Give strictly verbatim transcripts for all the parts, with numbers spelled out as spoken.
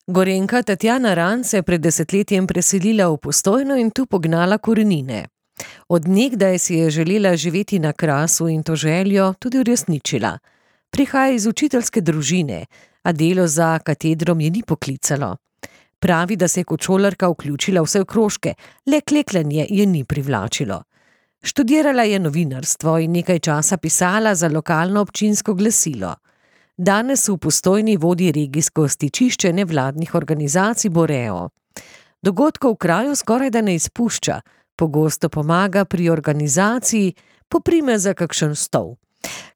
Gorenjka Tatjana Rant se je pred desetletjem preselila v Postojno in tu pognala korenine. Od nekdaj si je želela živeti na Krasu in to željo tudi uresničila. Prihaja iz učiteljske družine, a delo za katedrom je ni poklicalo. Pravi, da se je kot šolarka vključila vse v krožke, le klekljanje je ni privlačilo. Študirala je novinarstvo in nekaj časa pisala za lokalno občinsko glasilo. Danes v Postojni vodi regijsko stičišče nevladnih organizacij Boreo. Dogodkov v kraju skoraj da ne izpušča, pogosto pomaga pri organizaciji, poprime za kakšen stol.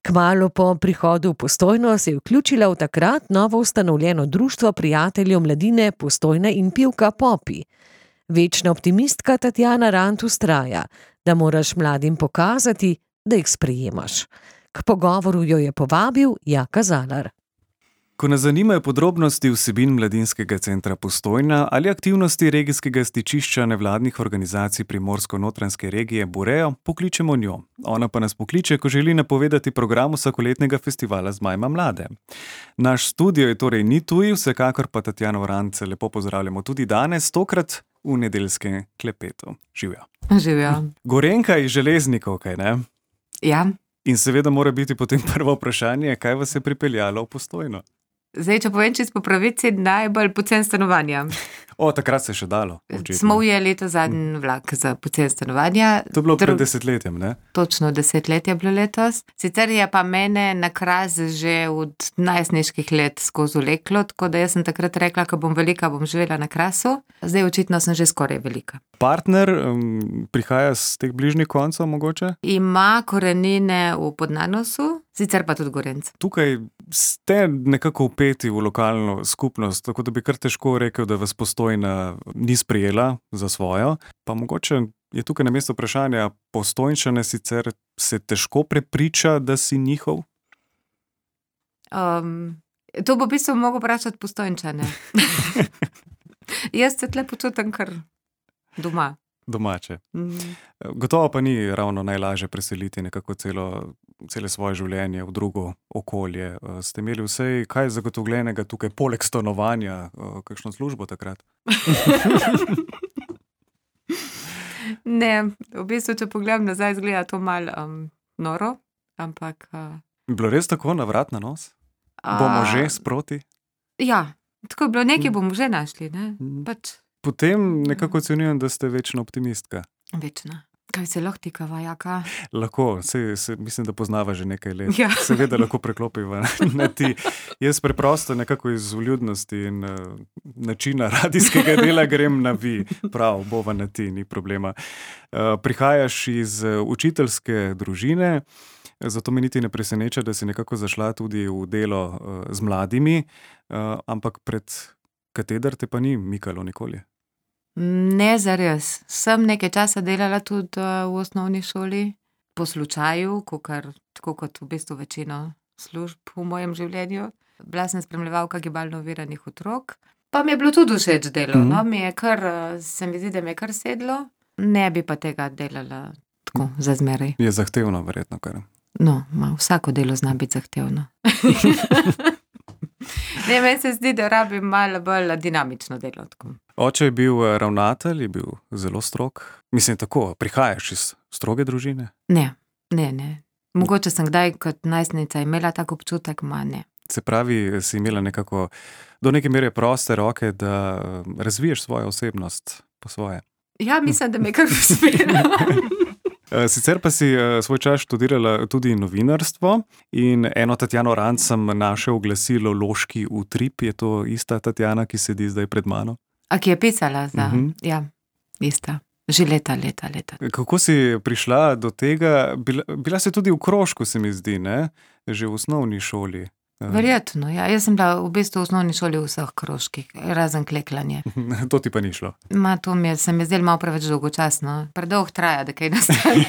Kmalu po prihodu v Postojno se je vključila v takrat novo ustanovljeno društvo prijateljev mladine Postojna in pivka Popi. Večna optimistka Tatjana Rant vztraja, da moraš mladim pokazati, da jih sprejemaš. K pogovoru jo je povabil Jaka Zalar. Ko nas zanimajo podrobnosti vsebin Mladinskega centra Postojna ali aktivnosti regijskega stičišča nevladnih organizacij Primorsko-notranjske regije Boreo, pokličemo njo. Ona pa nas pokliče, ko želi napovedati program vsakoletnega festivala Zmajma mlade. Naš studio je torej ni tuj, vsekakor pa Tatjano Rant lepo pozdravljamo tudi danes, tokrat v nedeljskem klepetu. Živjo. Živjo. Gorenjka iz Železnikov, kaj ne? Ja. In seveda mora biti potem prvo vprašanje, kaj vas je pripeljalo v Postojno? Zdaj, če povem čisto po pravici, najbolj pocen stanovanja. O, takrat se je še dalo. Očitno. Smo ujeli to zadnji vlak za pocen stanovanja. To je bilo pred desetletjem, ne? Točno desetletje je bilo letos. Sicer je pa mene na Kras že od najstniških let skozi vleklo, tako da jaz sem takrat rekla, ko bom velika, bom živela na Krasu. Zdaj očitno sem že skoraj velika. Partner um, prihaja z teh bližnjih koncev mogoče? Ima korenine v Podnanosu, sicer pa tudi Gorenjc. Tukaj ste nekako vpeti v lokalno skupnost, tako da bi kar težko rekel, da vas Postojna ni sprejela za svojo. Pa mogoče je tukaj na mesto vprašanja, Postojnčane sicer se težko prepriča, da si njihov? Um, to bo v bistvu mogel vprašati Postojnčane. Jaz se tle počutim kar doma. Domače. Mm. Gotovo pa ni ravno najlažje preseliti nekako celo, cele svoje življenje v drugo okolje. Ste imeli vse kaj zagotovljenega tukaj, poleg stanovanja, kakšno službo takrat? Ne, v bistvu, če pogledam nazaj, izgleda to malo um, noro, ampak... Uh, bilo res tako na vrat na nos? Bomo uh, že sproti? Ja, tako je bilo, nekaj bomo že našli, ne? Pač... Potem nekako ocenjujem, da ste večna optimistka. Večna. Kaj se lahko tikava, Jaka? Lahko, se, se, mislim, da poznava že nekaj let. Ja. Seveda lahko preklopiva na ti. Jaz preprosto nekako iz vljudnosti in uh, načina radijskega dela grem na vi. Prav, bova na ti, ni problema. Uh, prihajaš iz uh, učiteljske družine, zato me niti ne preseneča, da si nekako zašla tudi v delo uh, z mladimi, uh, ampak pred kateder te pa ni mikalo nikoli? Ne, zares. Sem nekaj časa delala tudi v osnovni šoli, po slučaju, kakor, tako kot v bistvu večino služb v mojem življenju. Bila sem spremljevalka gibalno oviranih otrok, pa mi je bilo tudi všeč delo. Mm-hmm. No, mi je kar, se mi zdi, da mi je kar sedlo. Ne bi pa tega delala tako za zmeraj. Je zahtevno, verjetno kar. No, ma, vsako delo zna biti zahtevno. Ne, meni se zdi, da rabim malo bolj dinamično delo. Tako. Oče je bil ravnatelj, je bil zelo strog. Mislim, tako, prihajaš iz stroge družine? Ne, ne, ne. Mogoče sem kdaj kot najstnica imela tak občutek, ma ne. Se pravi, si imela nekako do neke mere proste roke, da razviješ svojo osebnost po svoje? Ja, mislim, da me kar uspela. Sicer pa si svoj čas študirala tudi novinarstvo in eno Tatjano Rant sem našel v glasilu Loški utrip. Je to ista Tatjana, ki sedi zdaj pred mano? A ki je pisala za... Uh-huh. Ja, ista. Že leta, leta, leta. Kako si prišla do tega? Bila, bila si tudi v krožku, se mi zdi, ne? Že v osnovni šoli. Verjetno, ja. Jaz sem bila v bistvu v osnovni šoli v vseh krožkih, razen kleklanje. To ti pa ni šlo? Ma, to mi je, se mi zdelo malo preveč dolgočasno. Predolgo traja, da kaj nastane.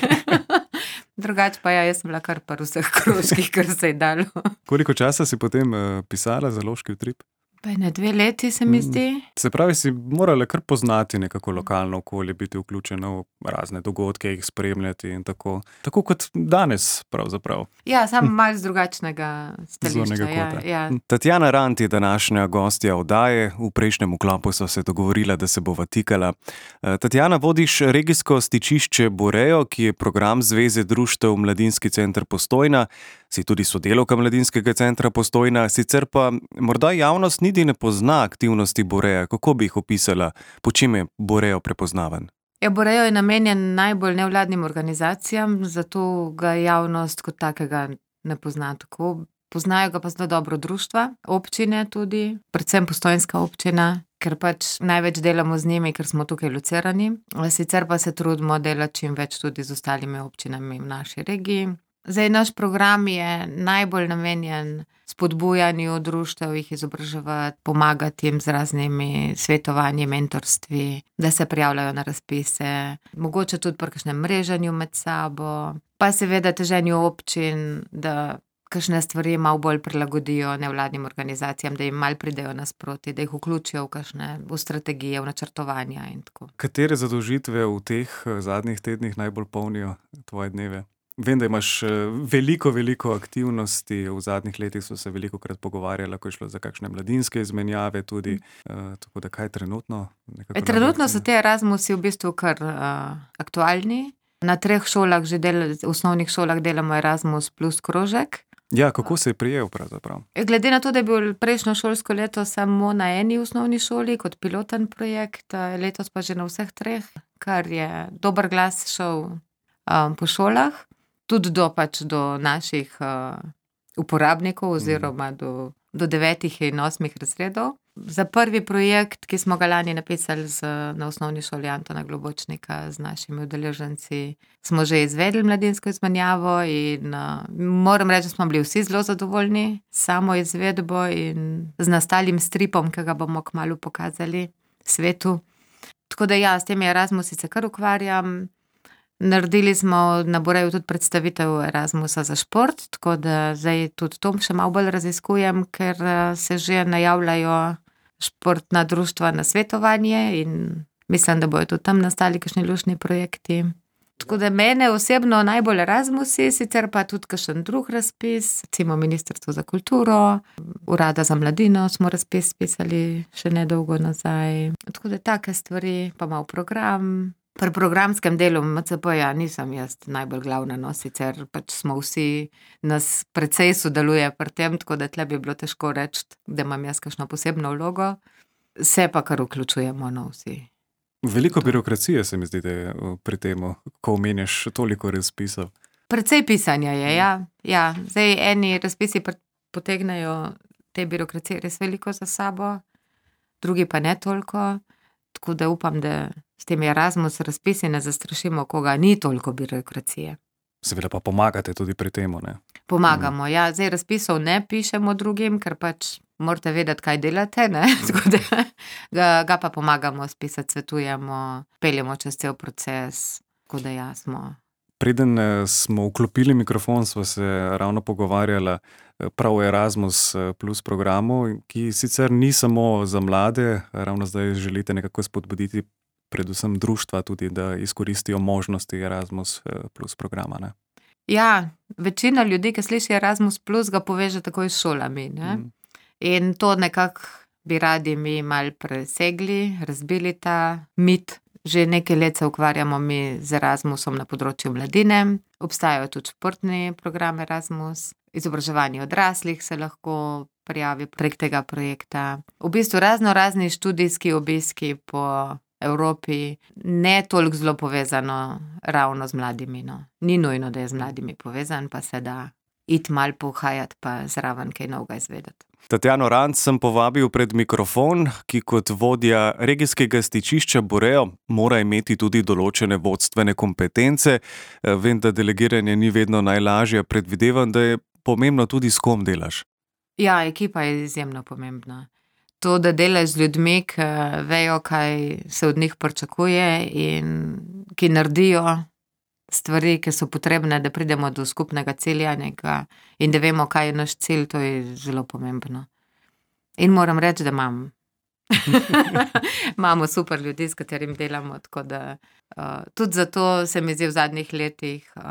Drugače pa ja, jaz sem bila kar par vseh krožkih, kar se je dalo. Koliko časa si potem uh, pisala za Loški utrip? Pa ne dve leti, se mi zdi. Se pravi, si morala kar poznati nekako lokalno okolje, biti vključena v razne dogodke, jih spremljati in tako. Tako kot danes pravzaprav. Ja, samo malo z drugačnega stališča. Zornega Ja, kota. ja. Tatjana Rant je današnja gostja oddaje. V prejšnjem vklopu sva se dogovorila, da se bova tikala. Eh, Tatjana, vodiš regijsko stičišče Burejo, ki je program Zveze društev Mladinski center Postojna. Si tudi sodelavka Mladinskega centra Postojna, sicer pa morda javnost niti ne pozna aktivnosti Bureja. Kako bi jih opisala? Po čem je Burejo prepoznaven? Ja, Burejo je namenjen najbolj nevladnim organizacijam, zato ga javnost kot takega ne pozna tako. Poznajo ga pa zelo dobro društva, občine tudi, predvsem postojnska občina, ker pač največ delamo z njimi, ker smo tukaj locirani. Sicer pa se trudimo delati čim več tudi z ostalimi občinami v naši regiji. Zdaj, naš program je najbolj namenjen spodbujanju društev, jih izobraževati, pomagati jim z raznimi svetovanji, mentorstvi, da se prijavljajo na razpise, mogoče tudi pri kakšnem mreženju med sabo, pa seveda teženju občin, da kakšne stvari malo bolj prilagodijo nevladnim organizacijam, da jim malo pridejo nasproti, da jih vključijo v kakšne v strategije, v načrtovanja in tako. Katere zadolžitve v teh zadnjih tednih najbolj polnijo tvoje dneve? Vem, da imaš veliko, veliko aktivnosti, v zadnjih letih so se velikokrat pogovarjala, ko je šlo za kakšne mladinske izmenjave tudi, uh, tako da kaj trenutno? E, trenutno so te Erasmusi v bistvu kar uh, aktualni. Na treh šolah, že del, v osnovnih šolah delamo Erasmus plus krožek. Ja, kako se je prijel pravzaprav? Glede na to, da je bil prejšnjo šolsko leto samo na eni osnovni šoli kot piloten projekt, letos pa že na vseh treh, kar je dober glas šel um, po šolah. Tudi do, pač do naših uh, uporabnikov oziroma do, do devetih in osmih razredov. Za prvi projekt, ki smo ga lani napisali z, na osnovni šoli Antona Globočnika z našimi udeleženci, smo že izvedli mladinsko izmenjavo in uh, moram reči, da smo bili vsi zelo zadovoljni s samo izvedbo in z nastalim stripom, ki ga bomo kmalu pokazali svetu. Tako da ja, s temi Erasmusi se kar ukvarjam. Naredili smo na Bureju tudi predstavitev Erasmusa za šport, tako da zdaj tudi to še malo bolj raziskujem, ker se že najavljajo športna društva na svetovanje in mislim, da bojo tudi tam nastali kakšni luštni projekti. Tako da mene osebno najbolj Erasmusi, sicer pa tudi kakšen drug razpis, recimo Ministrstvo za kulturo, Urada za mladino smo razpis pisali še nedolgo nazaj. Tako da take stvari, pa malo program. Pri programskem delu M C P-ja nisem jaz najbolj glavna, no, sicer pač smo vsi, nas precej sodeluje pri tem, tako da tle bi bilo težko reči, da imam jaz kakšno posebno vlogo. Se pa kar vključujemo, no, vsi. Veliko birokracije se mi zdi, da je pri tem, ko omenjaš toliko razpisov. Precej pisanja je, ja. ja. Zdaj eni razpisi potegnejo te birokracije res veliko za sabo, drugi pa ne toliko, tako da upam, da s temi Erasmus razpisi ne zastrašimo, koga ni toliko birokracije. Seveda pa pomagate tudi pri tem, ne? Pomagamo, mm. ja. Zdaj razpisov ne pišemo drugim, ker pač morate vedeti, kaj delate, ne? Tako da ga, ga pa pomagamo spisati, svetujemo, peljemo čez cel proces, tako da ja, smo. Preden smo vklopili mikrofon, sva se ravno pogovarjala prav o Erasmus plus programu, ki sicer ni samo za mlade, ravno zdaj želite nekako spodbuditi predvsem društva tudi, da izkoristijo možnosti Erasmus plus programa, ne? Ja, večina ljudi, ki sliši Erasmus plus, ga poveže takoj s šolami, ne? Mm. In to nekako bi radi mi malo presegli, razbili ta mit. Že nekaj let se ukvarjamo mi z Erasmusom na področju mladine. Obstajajo tudi športni program Erasmus. Izobraževanje odraslih se lahko prijavi prek tega projekta. V bistvu razno razni študijski obiski po Evropi, ne toliko zelo povezano ravno z mladimi, no. Ni nujno, da je z mladimi povezan, pa se da iti malo pohajati, pa zraven kaj novega izvedeti. Tatjano Rant sem povabil pred mikrofon, ki kot vodja regijskega stičišča Burejo mora imeti tudi določene vodstvene kompetence. Vem, da delegiranje ni vedno najlažje, predvidevam, da je pomembno tudi s kom delaš. Ja, ekipa je izjemno pomembna. To, da delaš z ljudmi, ki vejo, kaj se od njih pričakuje in ki naredijo stvari, ki so potrebne, da pridemo do skupnega cilja nekega in da vemo, kaj je naš cilj, to je zelo pomembno. In moram reči, da imam. Imamo super ljudi, s katerim delamo, tako da uh, tudi zato se mi zdi v zadnjih letih uh,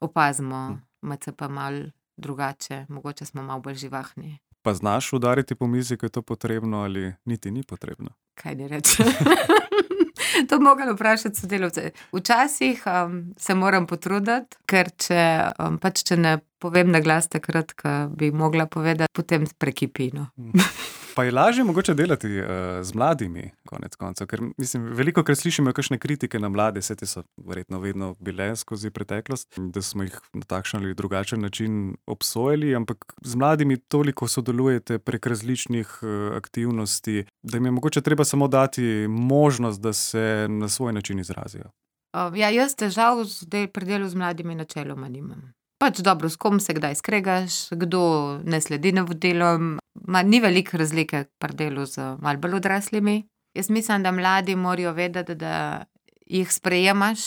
opazimo M C P malo drugače, mogoče smo malo bolj živahni. Pa znaš udariti po mizi, ko je to potrebno ali niti ni potrebno? Kaj ne reče? To bi mogli vprašati sodelavce. Včasih um, se moram potruditi, ker če, um, pač če ne povem na glas takrat, ko bi mogla povedati, potem prekipino. Pa je lažje mogoče delati uh, z mladimi, konec koncev, ker mislim, veliko krat slišimo kakšne kritike na mlade, vse te so verjetno vedno bile skozi preteklost, da smo jih na takšen ali drugačen način obsojali, ampak z mladimi toliko sodelujete prek različnih uh, aktivnosti, da jim je mogoče treba samo dati možnost, da se na svoj način izrazijo. Uh, ja, jaz težav zdaj pri delu z mladimi načeloma nimam. Pač dobro, s kom se kdaj skregaš, kdo ne sledi navodilom. Ma, ni veliko razlike pri delu z malo bolj odraslimi. Jaz mislim, da mladi morajo vedeti, da jih sprejemaš.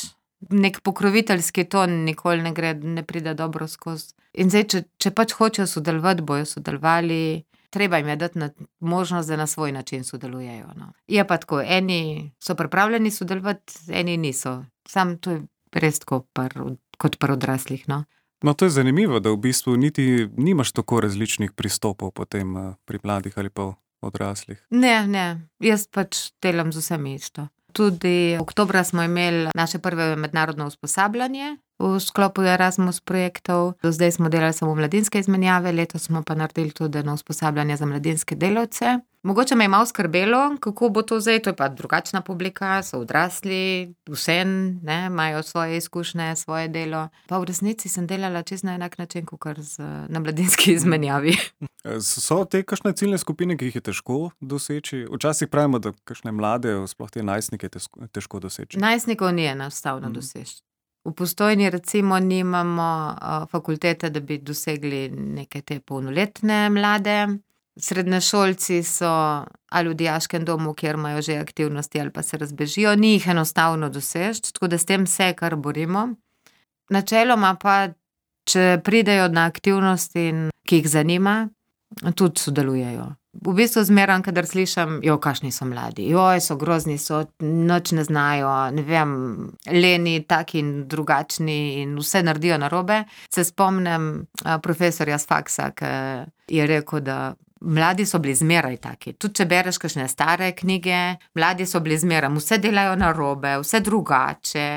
Nek pokroviteljski ton nikoli ne gre, ne pride dobro skozi. In zdaj, če, če pač hočejo sodelovati, bojo sodelovali, treba jim je dati na možnost, da na svoj način sodelujejo. No. Je pa tako, eni so pripravljeni sodelovati, eni niso. Sam to je res tako par, kot pri odraslih, no. No, to je zanimivo, da v bistvu niti nimaš tako različnih pristopov potem uh, pri mladih ali pa odraslih. Ne, ne, jaz pač delam z vsemi isto. Tudi oktobra smo imeli naše prve mednarodno usposabljanje v sklopu Erasmus projektov. Do zdaj smo delali samo mladinske izmenjave, letos smo pa naredili tudi eno usposabljanje za mladinske delavce. Mogoče me je malo skrbelo, kako bo to zdaj, to je pa drugačna publika, so odrasli, vsem, ne, imajo svoje izkušnje, svoje delo. Pa v resnici sem delala čisto na enak način, kot na mladinski izmenjavi. So te kakšne ciljne skupine, ki jih je težko doseči? Včasih pravimo, da kakšne mlade, sploh te najstnike, težko doseči. Najstnikov ni enostavno mm. doseči. V Postojni recimo nimamo uh, fakultete, da bi dosegli neke te polnoletne mlade. Srednješolci so ali v dijaškem domu, kjer imajo že aktivnosti, ali pa se razbežijo. Ni jih enostavno doseči, tako da s tem se kar borimo. Načeloma pa, če pridejo na aktivnosti, ki jih zanima, tudi sodelujejo. V bistvu zmeram, kadar slišam, jo, kakšni so mladi, joj, so grozni, so, nič ne znajo, ne vem, leni, taki in drugačni in vse naredijo narobe. Se spomnim a, profesorja z faksa, ki je rekel, da mladi so bili zmeraj taki. Tudi če bereš kakšne stare knjige, mladi so bili zmeraj, vse delajo narobe, vse drugače.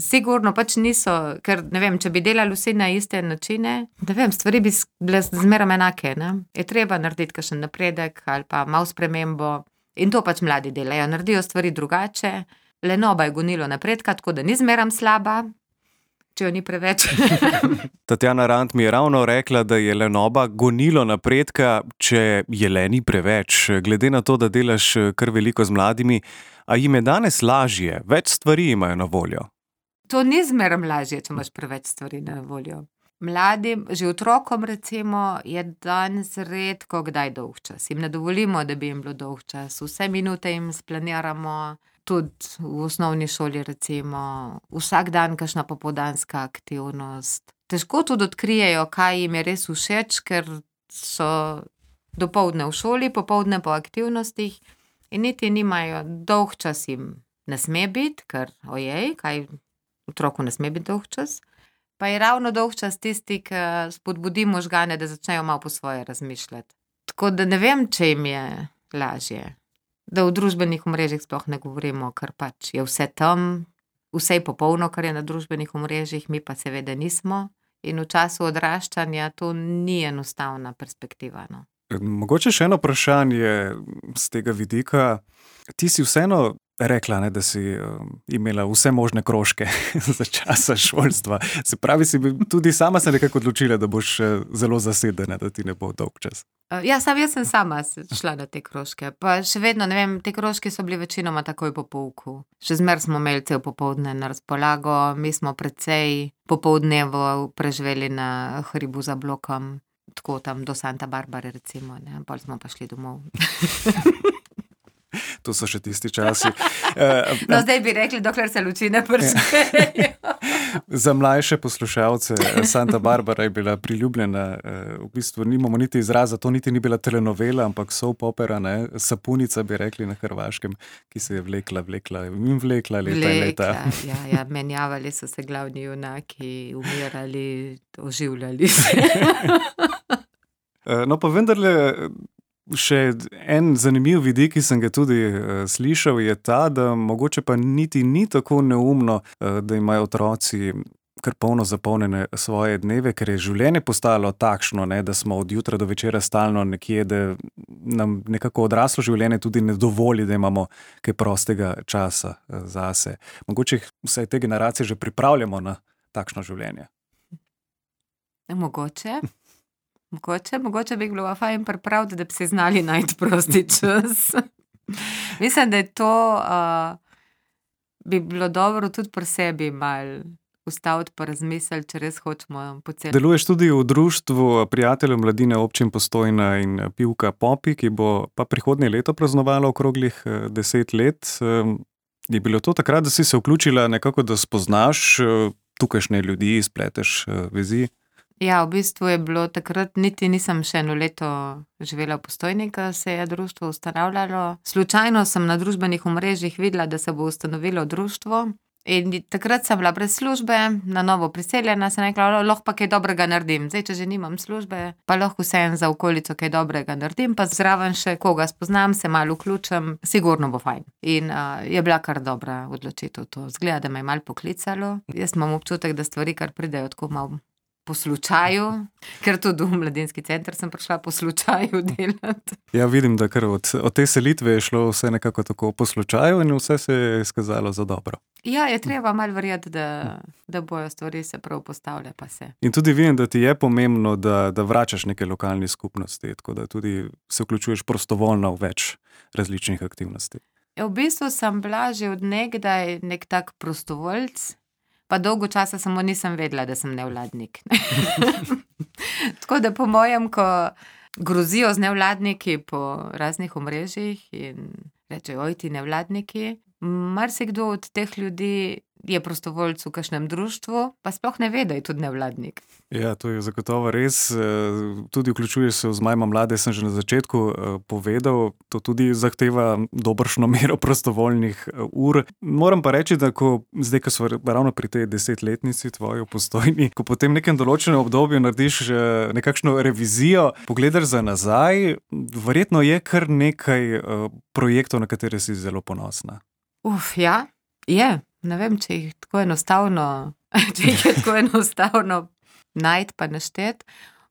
Sigurno pač niso, ker ne vem, če bi delali vsi na iste načine, ne vem, stvari bi bile zmeraj enake, ne. Je treba narediti kakšen napredek ali pa malo spremembo in to pač mladi delajo, naredijo stvari drugače. Lenoba je gonilo napredka, tako da ni zmeraj slaba, če jo ni preveč. Tatjana Rant mi je ravno rekla, da je lenoba gonilo napredka, če je leni preveč. Glede na to, da delaš kar veliko z mladimi, a jim je danes lažje, več stvari imajo na voljo? To ni zmeraj lažje, če imaš preveč stvari na voljo. Mladim, že otrokom recimo, je danes redko kdaj dolg čas. Jim ne dovolimo, da bi jim bilo dolg čas. Vse minute jim splaniramo, tudi v osnovni šoli recimo, vsak dan kakšna popoldanska aktivnost. Težko tudi odkrijejo, kaj jim je res všeč, ker so dopoldne v šoli, popoldne po aktivnostih in niti nimajo, dolg čas jim ne sme biti, ker ojej, kaj otroku ne sme biti dolg čas. Pa je ravno dolg čas tisti, ki spodbudi možgane, da začnejo malo po svoje razmišljati. Tako da ne vem, če jim je lažje. Da v družbenih omrežjih sploh ne govorimo, ker pač je vse tam, vse je popolno, kar je na družbenih omrežjih, mi pa seveda nismo. In v času odraščanja to ni enostavna perspektiva, no. Mogoče še eno vprašanje z tega vidika. Ti si vseeno rekla, ne, da si um, imela vse možne krožke za časa šolstva. Se pravi, si tudi sama se nekako odločila, da boš zelo zasedena, da ti ne bo dolg čas. Ja, sam, jaz sem sama šla na te krožke. Pa še vedno, ne vem, te krožke so bili večinoma takoj po pouku. Še zmer smo imeli cel popoldne na razpolago, mi smo precej popoldnevo preživeli na hribu za blokom, tako tam do Santa Barbare recimo, ne, pol smo pa šli domov. To so še tisti časi. No, zdaj bi rekli, dokler se luči ne pršejo. Za mlajše poslušalce, Santa Barbara je bila priljubljena, v bistvu nimamo niti izraza, to niti ni bila telenovela, ampak soap opera, ne, sapunica bi rekli na hrvaškem, ki se je vlekla, vlekla in vlekla leta in leta. Vlekla, ja, ja, menjavali so se glavni junaki, umirali, oživljali se. No, pa vendarle, še en zanimiv vidik, ki sem ga tudi uh, slišal, je ta, da mogoče pa niti ni tako neumno, uh, da imajo otroci kar polno zapolnjene svoje dneve, ker je življenje postalo takšno, ne, da smo od jutra do večera stalno nekje, da nam nekako odraslo življenje tudi ne dovoli, da imamo kaj prostega časa uh, zase. Mogoče vsaj te generacije že pripravljamo na takšno življenje. Mogoče. Mogoče, mogoče bi bilo fajn pripraviti, da bi se znali najti prosti čas. Mislim, da je to uh, bi bilo dobro tudi pri sebi malo ustaviti pa razmisliti, če res hočemo po celem. Deluješ tudi v društvu prijateljev mladine občin Postojna in Pivka Popi, ki bo pa prihodnje leto praznovalo okroglih deset let. Je bilo to takrat, da si se vključila nekako, da spoznaš tukajšnje ljudi, spleteš vezi? Ja, v bistvu je bilo takrat, niti nisem še eno leto živela v Postojni, ko se je društvo ustanavljalo. Slučajno sem na družbenih omrežjih videla, da se bo ustanovilo društvo in takrat sem bila brez službe, na novo priseljena, sem rekla, lahko pa kaj dobrega naredim. Zdaj, če že nimam službe, pa lahko vseeno za okolico kaj dobrega naredim, pa zraven še koga spoznam, se malo vključim, sigurno bo fajn. In uh, je bila kar dobra odločitev to. Zgleda, da me je malo poklicalo. Jaz imam občutek, da stvari kar pridejo tako malo po slučaju, ker tudi v mladinski center sem prišla po slučaju delati. Ja, vidim, da kar od, od te selitve je šlo vse nekako tako po slučaju in vse se je izkazalo za dobro. Ja, je treba malo verjeti, da, da bojo stvari se prav postavlja, pa se. In tudi vidim, da ti je pomembno, da, da vračaš neke lokalne skupnosti, tako da tudi se vključuješ prostovoljno v več različnih aktivnosti. Ja, v bistvu sem bila že od nekdaj nek tak prostovoljc, pa dolgo časa samo nisem vedela, da sem nevladnik. Tako da po mojem, ko grozijo z nevladniki po raznih omrežjih in rečejo, oj ti nevladniki, marsikdo od teh ljudi je prostovoljc v kakšnem društvu, pa sploh ne ve, da je tudi nevladnik. Ja, to je zagotovo res. Tudi vključuješ se v Zmajma mlade, sem že na začetku povedal, to tudi zahteva dobršno mero prostovoljnih ur. Moram pa reči, da ko, zdaj, ko smo ravno pri tej desetletnici tvoji v Postojni, ko potem v nekem določenem obdobju narediš nekakšno revizijo, pogledaš za nazaj, verjetno je kar nekaj projektov, na katere si zelo ponosna. Uf, ja, je. Ne vem, če jih tako enostavno, če jih je tako enostavno najti pa naštet.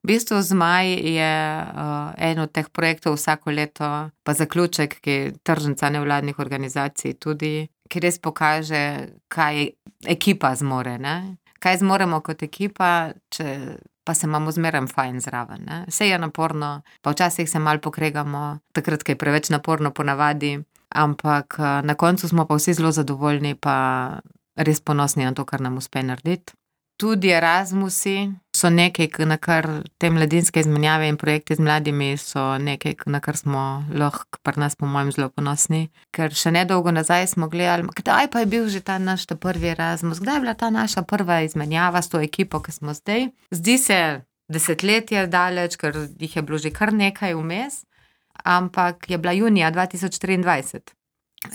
V bistvu Zmaj je uh, en od teh projektov vsako leto, pa zaključek, ki je tržnica nevladnih organizacij tudi, ki res pokaže, kaj ekipa zmore, ne? Kaj zmoremo kot ekipa, če pa se imamo zmeraj fajn zraven, ne? Vse je naporno, pa včasih se malo pokregamo, takrat, ko je preveč naporno ponavadi. Ampak na koncu smo pa vsi zelo zadovoljni, pa res ponosni na to, kar nam uspe narediti. Tudi Erasmusi so nekaj, na kar te mladinske izmenjave in projekti z mladimi so nekaj, na kar smo lahko pri nas po mojem zelo ponosni. Ker še nedolgo nazaj smo gledali, kdaj pa je bil že ta naš ta prvi Erasmus, kdaj je bila ta naša prva izmenjava s to ekipo, ki smo zdaj. Zdi se desetletje daleč, ker jih je bilo že kar nekaj vmes. Ampak je bila junija dva tisoč triindvajset.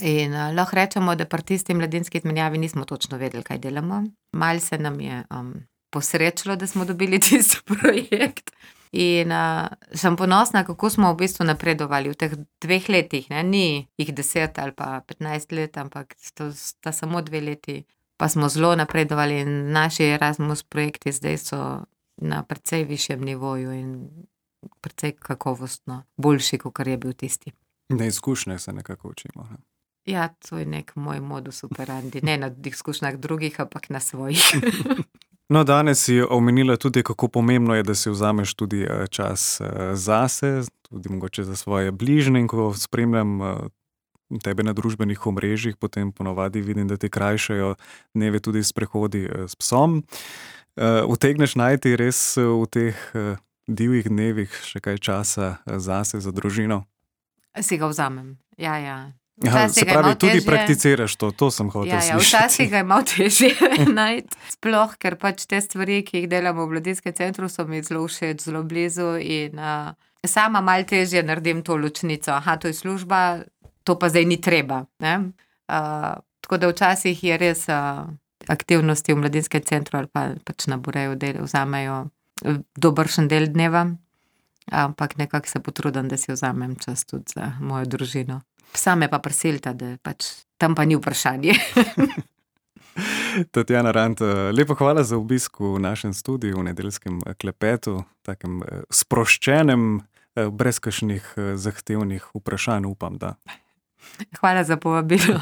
In uh, lahko rečemo, da pri tisti mladinski izmenjavi nismo točno vedeli, kaj delamo. Malo se nam je um, posrečilo, da smo dobili tisti projekt. In uh, sem ponosna, kako smo v bistvu napredovali v teh dveh letih. Ne? Ni jih deset ali pa petnajst let, ampak to sta samo dve leti. Pa smo zelo napredovali in naši Erasmus projekti zdaj so na precej višjem nivoju in precej kakovostno, boljši, kot je bil tisti. Na izkušnjah se nekako učimo. Ne? Ja, to je nek moj modus operandi. Ne na izkušnjah drugih, ampak na svojih. No, danes si omenila tudi, kako pomembno je, da si vzameš tudi čas zase, tudi mogoče za svoje bližnje. In ko spremljam tebe na družbenih omrežjih, potem ponovadi vidim, da ti krajšajo dneve tudi sprehodi s psom. Utegneš najti res v teh divjih dnevih še kaj časa zase, za družino? Si ga vzamem, ja, ja. Aha, se pravi, tudi prakticiraš to, to sem hotel ja, ja, slišati. Včasih ga je malo težje najti, sploh, ker pač te stvari, ki jih delamo v mladinskem centru, so mi zelo všeč, zelo blizu in uh, sama malo težje naredim to ločnico. Aha, to je služba, to pa zdaj ni treba. Ne? Uh, tako da včasih je res uh, aktivnosti v mladinskem centru ali pa pač na Bureju del, vzamejo dobršen del dneva, ampak nekako se potrudim, da si vzamem čas tudi za mojo družino. Psa me pa prisilita, da pač tam pa ni vprašanje. Tatjana Rant, lepo hvala za obisk v našem studiu, v nedeljskem klepetu, takem sproščenem, brez kakšnih zahtevnih vprašanj, upam, da. Hvala za povabilo.